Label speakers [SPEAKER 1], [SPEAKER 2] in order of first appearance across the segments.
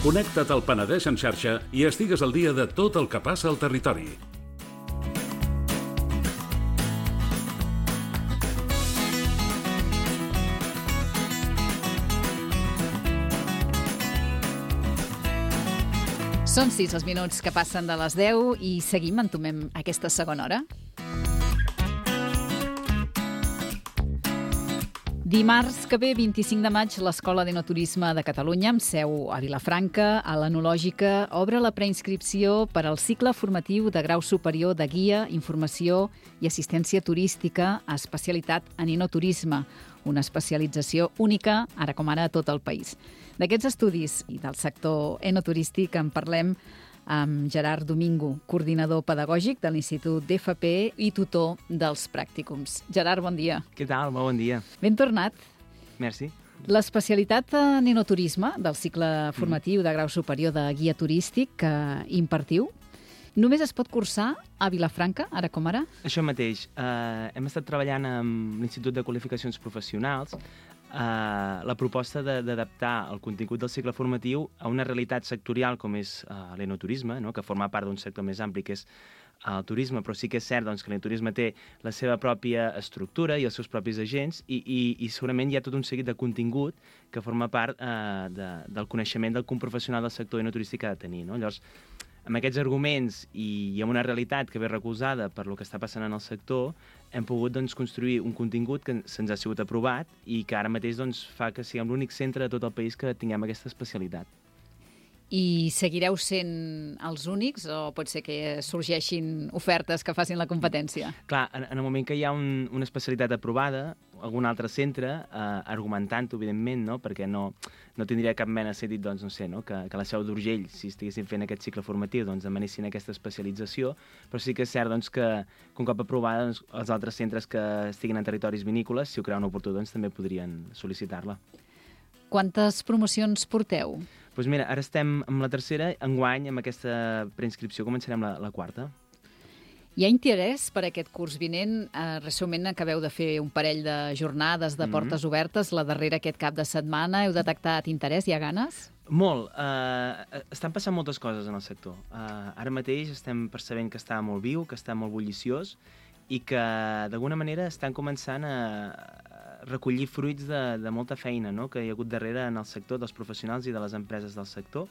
[SPEAKER 1] Connecta't al Penedès en xarxa i estigues al dia de tot el que passa al territori.
[SPEAKER 2] Són 6 els minuts que passen de les 10 i seguim, entomem aquesta segona hora. Dimarts que ve, 25 de maig, l'Escola d'Enoturisme de Catalunya, amb seu a Vilafranca, a l'Enològica, obre la preinscripció per al cicle formatiu de grau superior de guia, informació i assistència turística a especialitat en enoturisme, una especialització única, ara com ara, a tot el país. D'aquests estudis i del sector enoturístic en parlem amb Gerard Domingo, coordinador pedagògic de l'Institut d'FP i tutor dels pràcticums. Gerard, bon dia.
[SPEAKER 3] Què tal? Molt bon dia.
[SPEAKER 2] Ben tornat.
[SPEAKER 3] Merci.
[SPEAKER 2] L'especialitat en enoturisme del cicle formatiu de grau superior de guia turístic que impartiu només es pot cursar a Vilafranca, ara com ara?
[SPEAKER 3] Això mateix. Hem estat treballant amb l'Institut de Qualificacions Professionals la proposta d'adaptar el contingut del cicle formatiu a una realitat sectorial com és l'enoturisme, no? Que forma part d'un sector més ampli que és el turisme, però sí que és cert doncs, que l'enoturisme té la seva pròpia estructura i els seus propis agents i segurament hi ha tot un seguit de contingut que forma part del coneixement del que un professional del sector enoturístic ha de tenir. No? Llavors, amb aquests arguments i amb una realitat que ve recolzada per lo que està passant en el sector, hem pogut doncs, construir un contingut que se'ns ha sigut aprovat i que ara mateix doncs, fa que siguem l'únic centre de tot el país que tinguem aquesta especialitat.
[SPEAKER 2] I seguireu sent els únics o pot ser que sorgeixin ofertes que facin la competència?
[SPEAKER 3] Clar, en el moment que hi ha una especialitat aprovada, algun altre centre, argumentant-ho, evidentment, no? Perquè no tindria cap mena de sentit doncs, no sé, no? Que la Seu d'Urgell, si estiguessin fent aquest cicle formatiu, doncs demanessin aquesta especialització, però sí que és cert doncs, que un cop aprovada, doncs, els altres centres que estiguin en territoris vinícoles, si ho creuen oportú, doncs, també podrien sol·licitar-la.
[SPEAKER 2] Quantes promocions porteu?
[SPEAKER 3] Doncs mira, ara estem amb la tercera, enguany, amb aquesta preinscripció començarem la quarta.
[SPEAKER 2] Hi ha interès per aquest curs vinent? Recentment acabeu de fer un parell de jornades de portes obertes, la darrera aquest cap de setmana. Heu detectat interès? Hi ha ganes?
[SPEAKER 3] Molt. Estan passant moltes coses en el sector. Ara mateix estem percebent que està molt viu, que està molt bulliciós i que d'alguna manera estan començant a recollir fruits de molta feina, no? Que hi ha hagut darrere en el sector dels professionals i de les empreses del sector.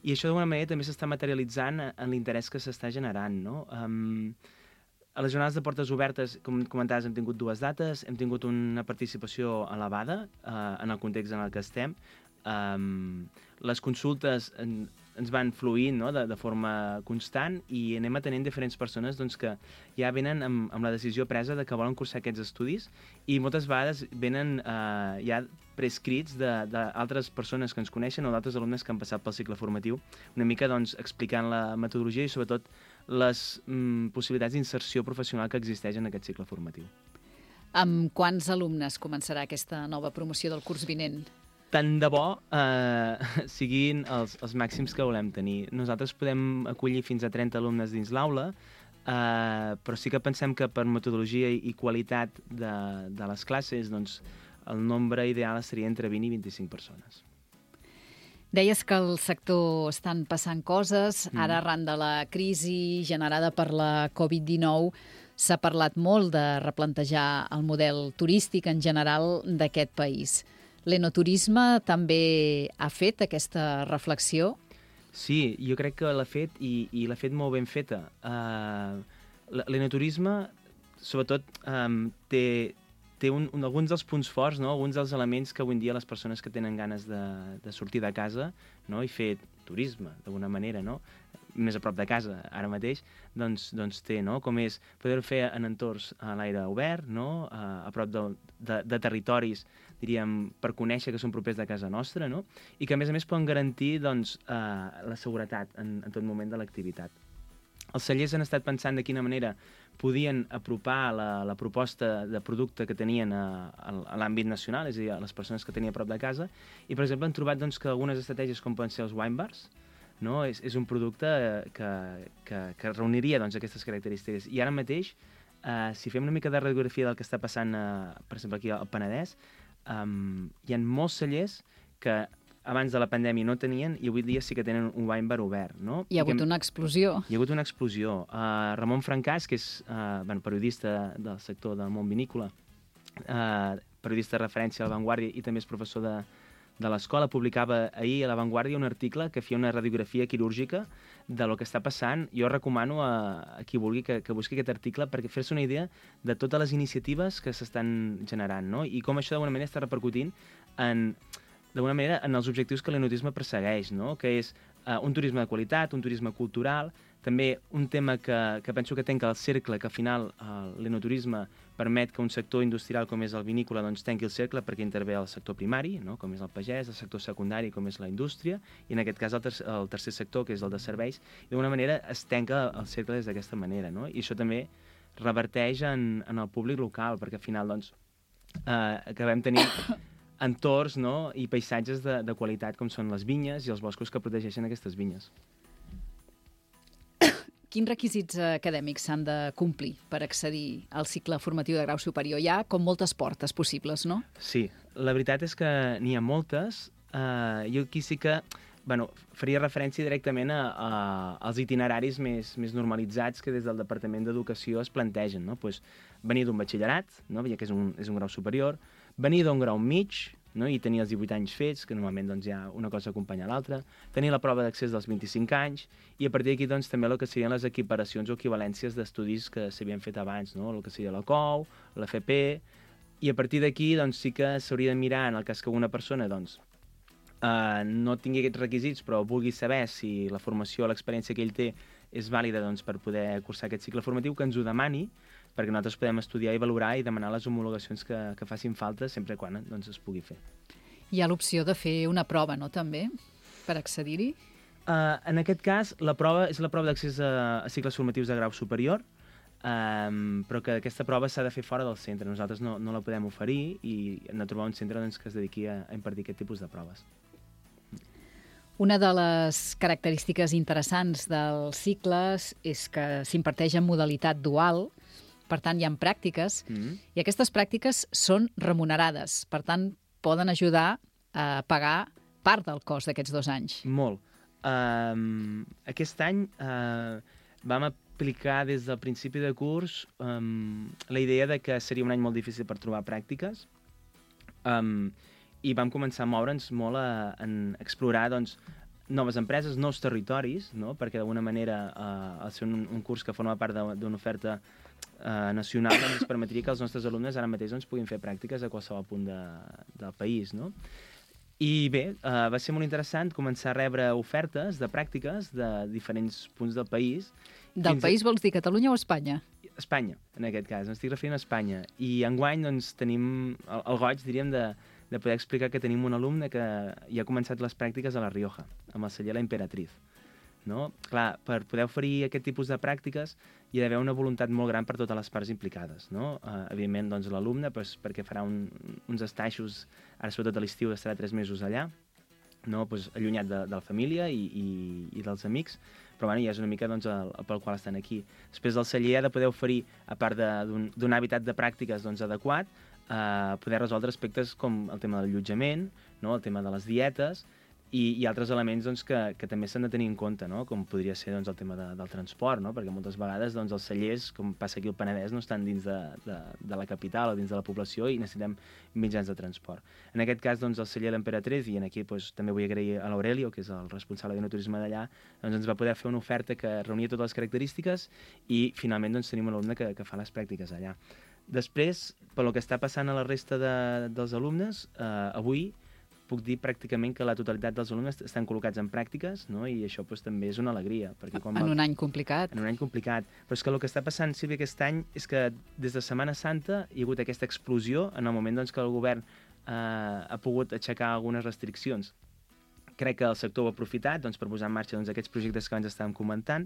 [SPEAKER 3] I això d'alguna manera també s'està materialitzant en l'interès que s'està generant, no? A les jornades de portes obertes, com comentaves, hem tingut 2 dates, hem tingut una participació elevada en el context en el que estem. Les consultes ens van fluint, no? de forma constant i anem atenent diferents persones doncs, que ja venen amb la decisió presa de que volen cursar aquests estudis i moltes vegades venen ja prescrits d'altres persones que ens coneixen o d'altres alumnes que han passat pel cicle formatiu, una mica doncs, explicant la metodologia i sobretot les possibilitats d'inserció professional que existeix en aquest cicle formatiu.
[SPEAKER 2] Amb quants alumnes començarà aquesta nova promoció del curs vinent?
[SPEAKER 3] Tant de bo siguin els màxims que volem tenir. Nosaltres podem acollir fins a 30 alumnes dins l'aula, però sí que pensem que per metodologia i qualitat de les classes, doncs, el nombre ideal seria entre 20 i 25 persones.
[SPEAKER 2] Deies que al sector estan passant coses. Ara, arran de la crisi generada per la Covid-19, s'ha parlat molt de replantejar el model turístic en general d'aquest país. L'enoturisme també ha fet aquesta reflexió?
[SPEAKER 3] Sí, jo crec que l'ha fet i l'ha fet molt ben feta. L'enoturisme, sobretot, té alguns dels punts forts, no? Alguns dels elements que avui en dia les persones que tenen ganes de sortir de casa, no? I fer turisme, d'alguna manera, no? Més a prop de casa, ara mateix, doncs té, no? Com és poder fer en entorns a l'aire obert, no? A prop de territoris, diríem, per conèixer que són propers de casa nostra, no? I que, a més, poden garantir doncs, la seguretat en tot moment de l'activitat. Els cellers han estat pensant de quina manera podien apropar la proposta de producte que tenien a l'àmbit nacional, és a dir, a les persones que tenia a prop de casa, i, per exemple, han trobat doncs, que algunes estratègies com poden ser els wine bars, no? És un producte que reuniria doncs, aquestes característiques. I ara mateix, si fem una mica de radiografia del que està passant, per exemple, aquí al Penedès, hi ha molts cellers que abans de la pandèmia no tenien i avui dia sí que tenen un wine bar obert, no?
[SPEAKER 2] Hi ha hagut una explosió.
[SPEAKER 3] Hi ha hagut una explosió. Ramon Francàs, que és periodista del sector del món vinícola, periodista de referència a La Vanguardia i també és professor de l'escola, publicava ahir a La Vanguardia un article que feia una radiografia quirúrgica de lo que està passant. Jo recomano a qui vulgui que busqui aquest article perquè fer-se una idea de totes les iniciatives que s'estan generant, no? I com això d'alguna manera està repercutint en els objectius que l'enoturisme persegueix, no? Que és un turisme de qualitat, un turisme cultural, també un tema que penso que tanca el cercle, que al final l'enoturisme permet que un sector industrial com és el vinícola doncs tanqui el cercle perquè intervé el sector primari, no? Com és el pagès, el sector secundari com és la indústria, i en aquest cas el tercer sector, que és el de serveis, i d'alguna manera es tanca el cercle des d'aquesta manera, no? I això també reverteix en el públic local, perquè al final doncs, acabem tenint entorns, no? I paisatges de qualitat com són les vinyes i els boscos que protegeixen aquestes vinyes.
[SPEAKER 2] Quins requisits acadèmics s'han de complir per accedir al cicle formatiu de grau superior? Hi ha com moltes portes possibles, no?
[SPEAKER 3] Sí, la veritat és que n'hi ha moltes. Jo aquí sí que faria referència directament als itineraris més normalitzats que des del Departament d'Educació es plantegen, no? Pues, venir d'un batxillerat, no? Ja que és un grau superior, venir d'un grau mig, no? I tenir els 18 anys fets, que normalment doncs, hi ha una cosa acompanya l'altra, tenir la prova d'accés dels 25 anys, i a partir d'aquí doncs, també el que serien les equiparacions o equivalències d'estudis que s'havien fet abans, no? El que seria la COU, l'FP, i a partir d'aquí doncs, sí que s'hauria de mirar, en el cas que una persona doncs, no tingui aquests requisits, però vulgui saber si la formació o l'experiència que ell té és vàlida doncs, per poder cursar aquest cicle formatiu, que ens ho demani, perquè nosaltres podem estudiar i valorar i demanar les homologacions que facin falta sempre quan doncs, es pugui fer.
[SPEAKER 2] Hi ha l'opció de fer una prova, no, també, per accedir-hi?
[SPEAKER 3] En aquest cas, la prova és la prova d'accés a cicles formatius de grau superior, però que aquesta prova s'ha de fer fora del centre. Nosaltres no la podem oferir i hem de trobar un centre doncs, que es dediqui a impartir aquest tipus de proves.
[SPEAKER 2] Una de les característiques interessants dels cicles és que s'imparteix en modalitat dual, per tant, hi ha pràctiques, i aquestes pràctiques són remunerades. Per tant, poden ajudar a pagar part del cost d'aquests 2 anys.
[SPEAKER 3] Molt. Aquest any vam aplicar des del principi de curs la idea de que seria un any molt difícil per trobar pràctiques i vam començar a moure'ns molt en explorar doncs, noves empreses, nous territoris, no? Perquè d'alguna manera al ser un curs que forma part d'una oferta nacional ens permetria que els nostres alumnes ara mateix doncs, puguin fer pràctiques a qualsevol punt del país, no? I bé, va ser molt interessant començar a rebre ofertes de pràctiques de diferents punts del país.
[SPEAKER 2] Del país vols dir Catalunya o Espanya?
[SPEAKER 3] Espanya, en aquest cas, m'estic referint a Espanya. I enguany doncs, tenim el goig, diríem, de poder explicar que tenim un alumne que ja ha començat les pràctiques a La Rioja, amb el celler La Imperatriz. No? Clar, per poder oferir aquest tipus de pràctiques hi ha d'haver una voluntat molt gran per totes les parts implicades. No? Evidentment, doncs, l'alumne, perquè farà uns estaixos, ara sobretot a l'estiu estarà 3 mesos allà, no? Pues, allunyat de la família i dels amics, però bueno, ja és una mica doncs, pel qual estan aquí. Després el celler ha de poder oferir, a part d'un hàbitat de pràctiques doncs, adequat, poder resoldre aspectes com el tema del allotjament, no? El tema de les dietes, i altres elements doncs, que també s'han de tenir en compte, no? Com podria ser doncs, el tema del transport, no? Perquè moltes vegades doncs, els cellers, com passa aquí al Penedès, no estan dins de la capital o dins de la població i necessitem mitjans de transport. En aquest cas, doncs, el celler L'Emperatriz, i aquí doncs, també vull agrair a l'Aurelio, que és el responsable d'enoturisme d'allà, doncs, ens va poder fer una oferta que reunia totes les característiques i finalment doncs, tenim un alumne que fa les pràctiques allà. Després, pel que està passant a la resta dels alumnes, avui puc dir pràcticament que la totalitat dels alumnes estan col·locats en pràctiques, no? I això doncs, també és una alegria. Perquè
[SPEAKER 2] en un any complicat.
[SPEAKER 3] En un any complicat. Però és que el que està passant, Sílvia, aquest any és que des de Setmana Santa hi ha hagut aquesta explosió en el moment doncs, que el govern ha pogut aixecar algunes restriccions. Crec que el sector ho ha aprofitat doncs, per posar en marxa doncs, aquests projectes que abans estàvem comentant,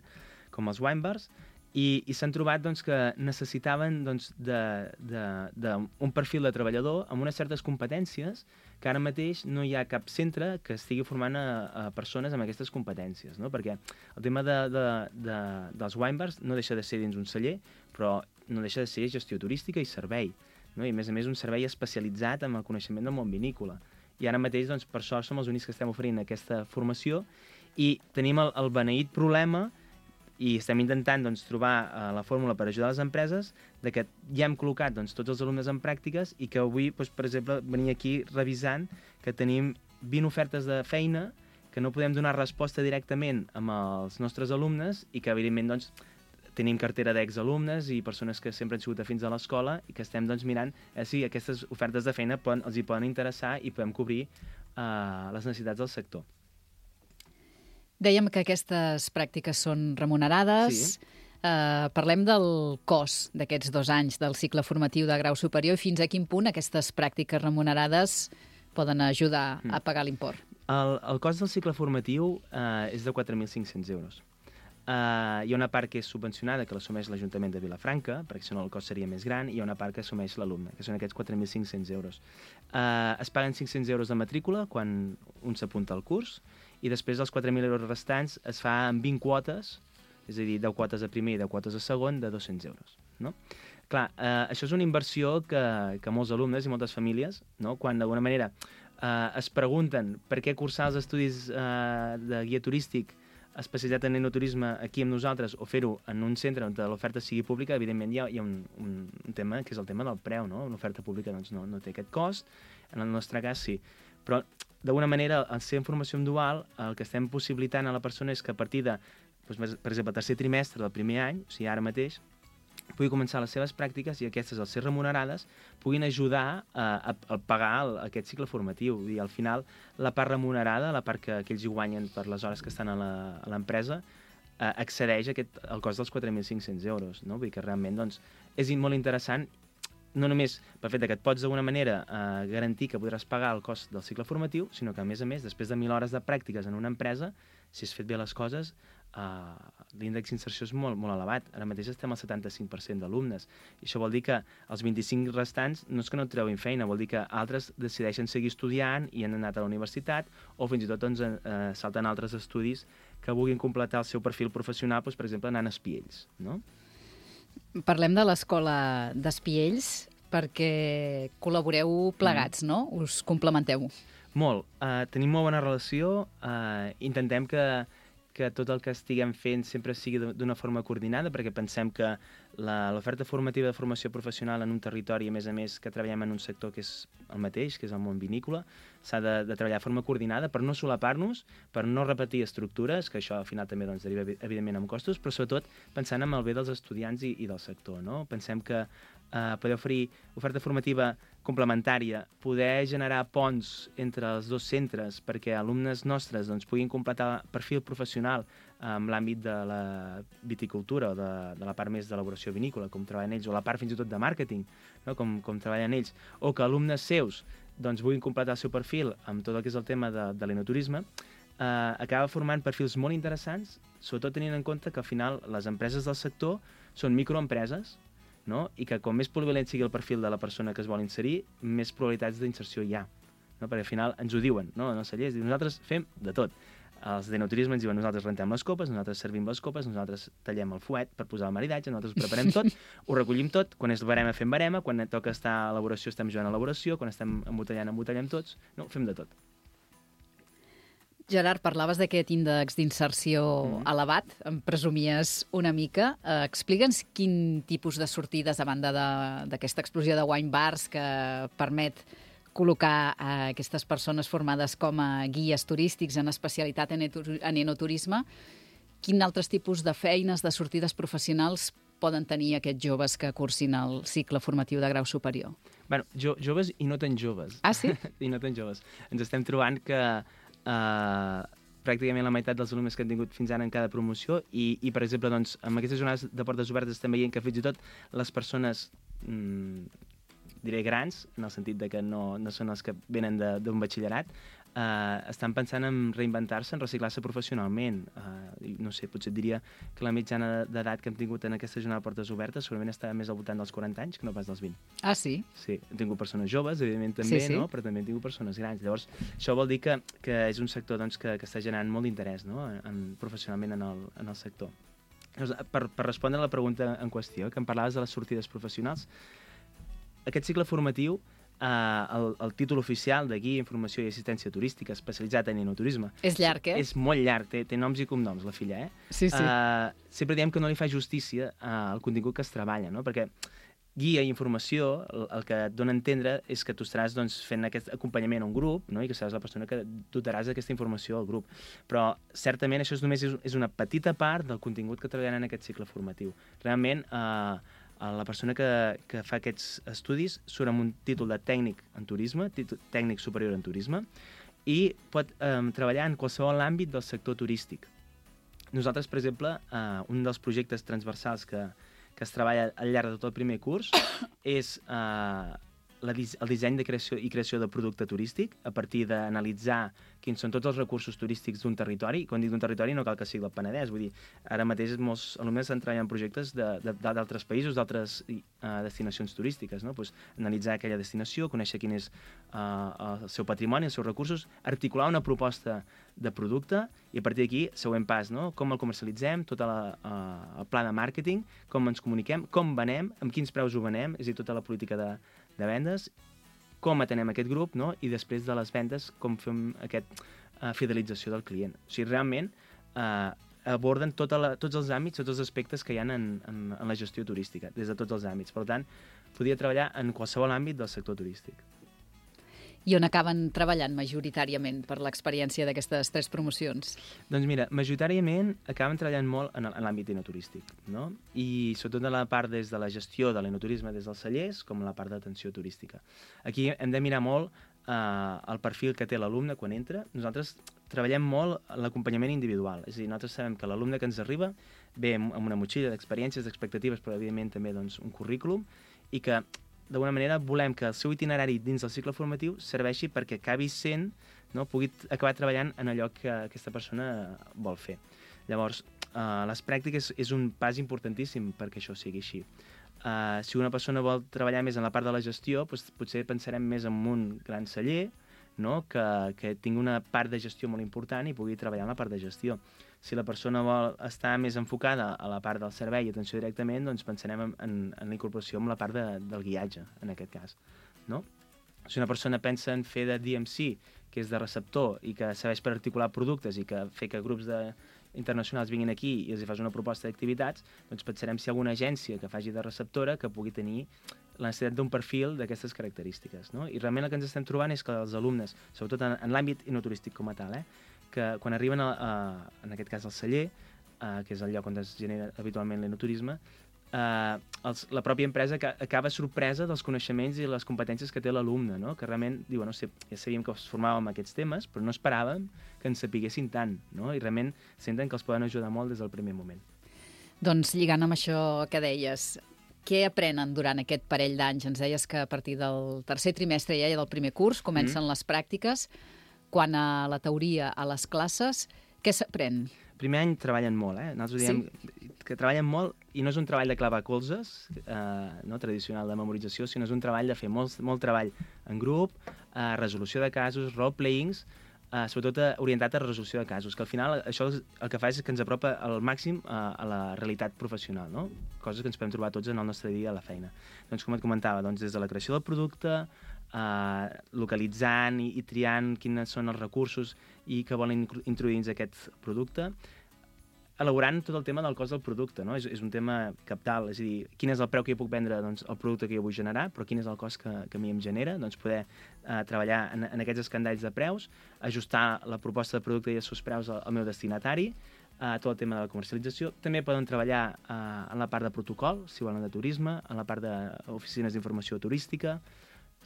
[SPEAKER 3] com els wine bars, i s'han trobat doncs, que necessitaven doncs, un perfil de treballador amb unes certes competències que ara mateix no hi ha cap centre que estigui formant a persones amb aquestes competències, no? Perquè el tema dels wine bars no deixa de ser dins un celler, però no deixa de ser gestió turística i servei, no? I a més un servei especialitzat en el coneixement del món vinícola. i ara mateix, doncs, per sort, som els únics que estem oferint aquesta formació i tenim el beneït problema i estem intentant doncs, trobar la fórmula per ajudar les empreses de que ja hem col·locat doncs, tots els alumnes en pràctiques i que avui, doncs, per exemple, venia aquí revisant que tenim 20 ofertes de feina que no podem donar resposta directament amb els nostres alumnes i que, evidentment, doncs, tenim cartera d'exalumnes i persones que sempre han sigut afins a l'escola i que estem doncs, mirant si aquestes ofertes de feina els hi poden interessar i podem cobrir les necessitats del sector.
[SPEAKER 2] Dèiem que aquestes pràctiques són remunerades.
[SPEAKER 3] Sí.
[SPEAKER 2] Parlem del cost d'aquests 2 anys del cicle formatiu de grau superior i fins a quin punt aquestes pràctiques remunerades poden ajudar a pagar l'import.
[SPEAKER 3] El cost del cicle formatiu és de 4.500 euros. Hi ha una part que és subvencionada, que l'assumeix l'Ajuntament de Vilafranca, perquè si no el cost seria més gran, i hi ha una part que assumeix l'alumne, que són aquests 4.500 euros. Es paguen 500 euros de matrícula quan un s'apunta al curs, i després els 4.000 euros restants es fa en 20 quotes, és a dir, 10 quotes a primer i 10 quotes a segon, de 200 euros. No? Clar, això és una inversió que molts alumnes i moltes famílies, no? Quan d'alguna manera es pregunten per què cursar els estudis de guia turístic especialitzat en enoturisme aquí amb nosaltres o fer-ho en un centre on l'oferta sigui pública, evidentment hi ha un tema que és el tema del preu, no? Una oferta pública doncs, no té aquest cost, en el nostre cas sí. Però d'alguna manera, al ser en formació dual, el que estem possibilitant a la persona és que a partir de, doncs, per exemple, el tercer trimestre del primer any, o sigui, ara mateix, pugui començar les seves pràctiques i aquestes, al ser remunerades, puguin ajudar a pagar aquest cicle formatiu. I al final, la part remunerada, la part que ells hi guanyen per les hores que estan a l'empresa, excedeix el cost dels 4.500 euros. No? Vull dir que realment doncs, és molt interessant, no només pel fet que et pots d'alguna manera garantir que podràs pagar el cost del cicle formatiu, sinó que a més, després de 1.000 hores de pràctiques en una empresa, si has fet bé les coses, l'índex d'inserció és molt, molt elevat. Ara mateix estem al 75% d'alumnes. I això vol dir que els 25 restants no és que no treguin feina, vol dir que altres decideixen seguir estudiant i han anat a la universitat o fins i tot doncs, salten altres estudis que vulguin completar el seu perfil professional, doncs, per exemple, anant a Espiells. No?
[SPEAKER 2] Parlem de l'escola d'Espiells perquè col·laboreu plegats, no? Us complementeu.
[SPEAKER 3] Molt. Tenim molt bona relació. Intentem que tot el que estiguem fent sempre sigui d'una forma coordinada, perquè pensem que l'oferta formativa de formació professional en un territori, a més que treballem en un sector que és el mateix, que és el món vinícola, s'ha de treballar de forma coordinada per no solapar-nos, per no repetir estructures, que això al final també doncs, deriva evidentment en costos, però sobretot pensant en el bé dels estudiants i del sector. No? Pensem que poder oferir oferta formativa complementària, poder generar ponts entre els dos centres perquè alumnes nostres doncs, puguin completar perfil professional en l'àmbit de la viticultura o de la part més d'elaboració vinícola, com treballen ells, o la part fins i tot de màrqueting, no? com treballen ells, o que alumnes seus doncs, vulguin completar el seu perfil amb tot el que és el tema de l'enoturisme, acaba formant perfils molt interessants, sobretot tenint en compte que al final les empreses del sector són microempreses, no? I que com més polivalent sigui el perfil de la persona que es vol inserir, més probabilitats d'inserció hi ha. No? Perquè al final ens ho diuen, no? En els cellers, nosaltres fem de tot. Els d'enoturisme ens diuen nosaltres rentem les copes, nosaltres servim les copes, nosaltres tallem el fuet per posar el maridatge, nosaltres ho preparem tot, ho recollim tot, quan és barema fem barema, quan toca estar a elaboració estem jugant a elaboració, quan estem embotellem tots, no? Fem de tot.
[SPEAKER 2] Gerard, parlaves d'aquest índex d'inserció elevat, em presumies una mica. Explica'ns quin tipus de sortides, a banda d'aquesta explosió de wine bars que permet col·locar aquestes persones formades com a guies turístics en especialitat en enoturisme, quin altres tipus de feines, de sortides professionals poden tenir aquests joves que cursin el cicle formatiu de grau superior?
[SPEAKER 3] Bueno, joves i no tan joves.
[SPEAKER 2] Ah, sí?
[SPEAKER 3] I no tan joves. Ens estem trobant que pràcticament la meitat dels alumnes que han tingut fins ara en cada promoció i per exemple, doncs, amb aquestes jornades de portes obertes estem veient que fins i tot les persones diré grans, en el sentit de que no són els que venen d'un batxillerat, estan pensant en reinventar-se, en reciclar-se professionalment. No sé, potser et diria que la mitjana d'edat que hem tingut en aquesta jornada de portes obertes segurament està més al voltant dels 40 anys que no pas dels 20.
[SPEAKER 2] Ah, sí?
[SPEAKER 3] Sí, hem tingut persones joves, evidentment també, sí. No? Però també hem tingut persones grans. Llavors, això vol dir que és un sector doncs, que està generant molt d'interès, no? Professionalment en el sector. Llavors, per respondre a la pregunta en qüestió, que em parlaves de les sortides professionals, aquest cicle formatiu el títol oficial de Guia, Informació i Assistència Turística especialitzat en enoturisme.
[SPEAKER 2] És llarg,
[SPEAKER 3] És molt llarg, té noms i cognoms, la filla,
[SPEAKER 2] Sí.
[SPEAKER 3] Sempre diem que no li fa justícia al contingut que es treballa, no? Perquè guia i informació, el que et dona a entendre és que tu estaràs fent aquest acompanyament a un grup, no? I que seràs la persona que dotaràs d'aquesta informació al grup. Però, certament, això només és una petita part del contingut que treballarà en aquest cicle formatiu. Realment, la persona que fa aquests estudis surt amb un títol de tècnic en turisme, tècnic superior en turisme, i pot treballar en qualsevol àmbit del sector turístic. Nosaltres, per exemple, un dels projectes transversals que es treballa al llarg de tot el primer curs és el disseny i creació de producte turístic a partir d'analitzar quins són tots els recursos turístics d'un territori. Quan dic d'un territori no cal que sigui del Penedès, vull dir, ara mateix molts alumnes estan treballant en projectes d'altres països, d'altres destinacions turístiques, no? Pues, analitzar aquella destinació, conèixer quin és el seu patrimoni, els seus recursos, articular una proposta de producte i a partir d'aquí, següent pas, no? Com el comercialitzem, tot el pla de màrqueting, com ens comuniquem, com venem, amb quins preus ho venem, és a dir, tota la política de vendes, com atenem aquest grup, no? I després de les vendes, com fem aquesta fidelització del client. O sigui, realment aborden tots els àmbits, tots els aspectes que hi ha en la gestió turística, des de tots els àmbits. Per tant, podria treballar en qualsevol àmbit del sector turístic.
[SPEAKER 2] I on acaben treballant majoritàriament per l'experiència d'aquestes 3 promocions?
[SPEAKER 3] Doncs mira, majoritàriament acaben treballant molt en l'àmbit enoturístic, no? I sobretot en la part des de la gestió de l'enoturisme des dels cellers, com la part d'atenció turística. Aquí hem de mirar molt el perfil que té l'alumne quan entra. Nosaltres treballem molt l'acompanyament individual, és a dir, nosaltres sabem que l'alumne que ens arriba ve amb una motxilla d'experiències, d'expectatives, però evidentment també un currículum, i que d'alguna manera volem que el seu itinerari dins del cicle formatiu serveixi perquè acabi sent, no, pugui acabar treballant en allò que aquesta persona vol fer. Llavors, les pràctiques és un pas importantíssim perquè això sigui així. Si una persona vol treballar més en la part de la gestió, doncs potser pensarem més en un gran celler, no, que tingui una part de gestió molt important i pugui treballar en la part de gestió. Si la persona vol estar més enfocada a la part del servei i atenció directament, doncs pensarem en la incorporació amb la part del guiatge, en aquest cas. No? Si una persona pensa en fer de DMC, que és de receptor, i que serveix per articular productes i que fer que grups internacionals vinguin aquí i els fas una proposta d'activitats, doncs pensarem si hi ha alguna agència que faci de receptora que pugui tenir la necessitat d'un perfil d'aquestes característiques. No? I realment el que ens estem trobant és que els alumnes, sobretot en l'àmbit enoturístic com a tal, que quan arriben, en aquest cas al celler, que és el lloc on es genera habitualment l'enoturisme, la pròpia empresa acaba sorpresa dels coneixements i les competències que té l'alumne, no? Que realment diuen, no sé, ja sabíem que es formàvem amb aquests temes, però no esperàvem que ens sapiguessin tant, no? I realment senten que els poden ajudar molt des del primer moment.
[SPEAKER 2] Doncs lligant amb això que deies, què aprenen durant aquest parell d'anys? Ens deies que a partir del tercer trimestre ja del primer curs comencen les pràctiques. Quant a la teoria, a les classes, què s'aprèn?
[SPEAKER 3] Primer any treballen molt, Nosaltres diem que treballen molt i no és un treball de clavar colzes, no, tradicional de memorització, sinó és un treball de fer molt treball en grup, resolució de casos, role-playings, sobretot orientat a resolució de casos, que al final això el que fa és que ens apropa al màxim a la realitat professional, no? Coses que ens podem trobar tots en el nostre dia a la feina. Doncs com et comentava, des de la creació del producte, localitzant i triant quins són els recursos i que volen introduir dins aquest producte, elaborant tot el tema del cost del producte, no? És un tema cabdal, és a dir, quin és el preu que jo puc vendre, doncs, el producte que jo vull generar, però quin és el cost que a mi em genera, doncs poder treballar en aquests escandalls de preus, ajustar la proposta de producte i els seus preus al meu destinatari, tot el tema de la comercialització. També poden treballar en la part de protocol, si volen de turisme, en la part d'oficines d'informació turística.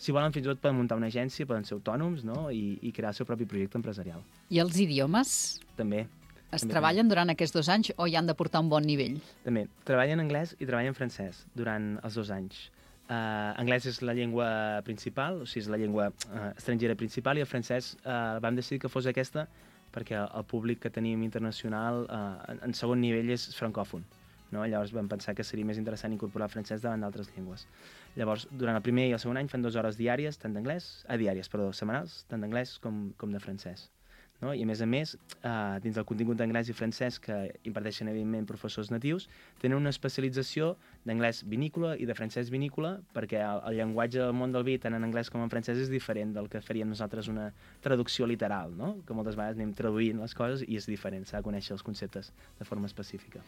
[SPEAKER 3] Si volen, fins i tot poden muntar una agència, poden ser autònoms, no? I crear el seu propi projecte empresarial.
[SPEAKER 2] I els idiomes?
[SPEAKER 3] També.
[SPEAKER 2] Es treballen durant aquests 2 anys o hi han de portar un bon nivell?
[SPEAKER 3] També. Treballen anglès i treballen francès durant els 2 anys. Anglès és la llengua principal, o sigui, és la llengua estrangera principal, i el francès vam decidir que fos aquesta perquè el públic que tenim internacional en segon nivell és francòfon. No? Llavors vam pensar que seria més interessant incorporar el francès davant d'altres llengües. Llavors, durant el primer i el segon any fan 2 hores diàries, setmanals, tant d'anglès com de francès. no? I a més, dins del contingut d'anglès i francès que imparteixen, evidentment, professors natius, tenen una especialització d'anglès vinícola i de francès vinícola, perquè el llenguatge del món del vi, tant en anglès com en francès, és diferent del que faríem nosaltres una traducció literal, no? Que moltes vegades anem traduint les coses i és diferent, s'ha de conèixer els conceptes de forma específica.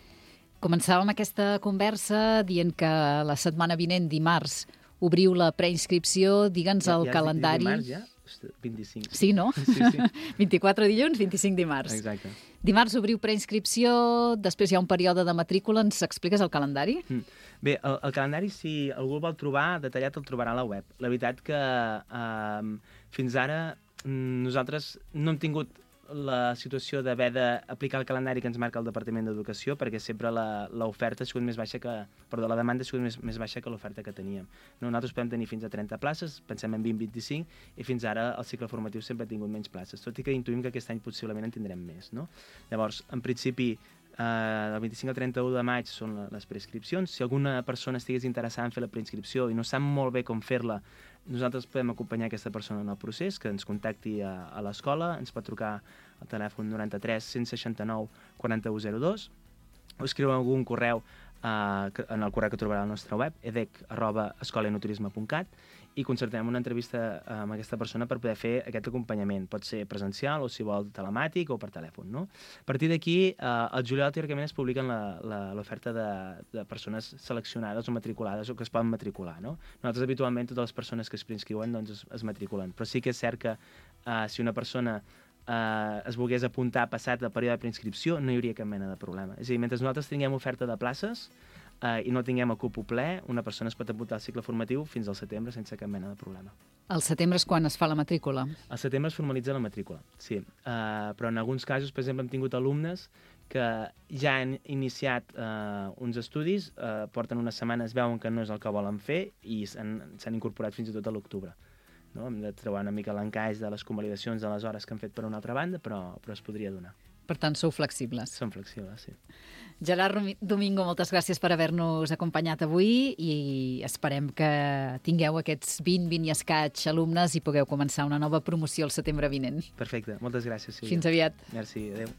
[SPEAKER 2] Començàvem aquesta conversa dient que la setmana vinent, dimarts, obriu la preinscripció, digue'ns el calendari.
[SPEAKER 3] Dimarts, ja? 25.
[SPEAKER 2] Sí, no?
[SPEAKER 3] Sí.
[SPEAKER 2] 24 dilluns, 25 dimarts.
[SPEAKER 3] Exacte.
[SPEAKER 2] Dimarts obriu preinscripció, després hi ha un període de matrícula. Ens expliques el calendari?
[SPEAKER 3] Bé, el calendari, si algú el vol trobar detallat, el trobarà a la web. La veritat que fins ara nosaltres no hem tingut la situació d'haver d'aplicar el calendari que ens marca el Departament d'Educació, perquè sempre l'oferta ha sigut més baixa que... Perdó, la demanda ha sigut més baixa que l'oferta que teníem. No, nosaltres podem tenir fins a 30 places, pensem en 20-25, i fins ara el cicle formatiu sempre ha tingut menys places, tot i que intuïm que aquest any possiblement en tindrem més, no? Llavors, en principi, del 25 al 31 de maig són les preinscripcions. Si alguna persona estigués interessada en fer la preinscripció i no sap molt bé com fer-la, nosaltres podem acompanyar aquesta persona en el procés, que ens contacti a l'escola, ens pot trucar al telèfon 93 169 4102 o escriure algun correu en el correu que trobarà a la nostra web, edec@escolaenoturisme.cat, i concertem una entrevista amb aquesta persona per poder fer aquest acompanyament. Pot ser presencial o, si vol, telemàtic o per telèfon, no? A partir d'aquí, al juliol, teòricament, es publiquen l'oferta de persones seleccionades o matriculades o que es poden matricular, no? Nosaltres, habitualment, totes les persones que es preinscriuen doncs, es matriculen. Però sí que és cert que si una persona es volgués apuntar passat el període de preinscripció, no hi hauria cap mena de problema. És a dir, mentre nosaltres tinguem oferta de places i no tinguem el cupo ple, una persona es pot apuntar al cicle formatiu fins al setembre sense cap mena de problema.
[SPEAKER 2] Al setembre és quan es fa la matrícula?
[SPEAKER 3] Al setembre es formalitza la matrícula, sí. Però en alguns casos, per exemple, hem tingut alumnes que ja han iniciat uns estudis, porten unes setmanes, veuen que no és el que volen fer i s'han incorporat fins i tot a l'octubre. No? Hem de trobar una mica l'encaix de les convalidacions de les hores que han fet per una altra banda, però es podria donar.
[SPEAKER 2] Per tant, sou flexibles.
[SPEAKER 3] Som flexibles, sí.
[SPEAKER 2] Gerard Domingo, moltes gràcies per haver-nos acompanyat avui i esperem que tingueu aquests 20 i escaig alumnes i pugueu començar una nova promoció el setembre vinent.
[SPEAKER 3] Perfecte, moltes gràcies, Sílvia.
[SPEAKER 2] Fins aviat.
[SPEAKER 3] Merci, adeu.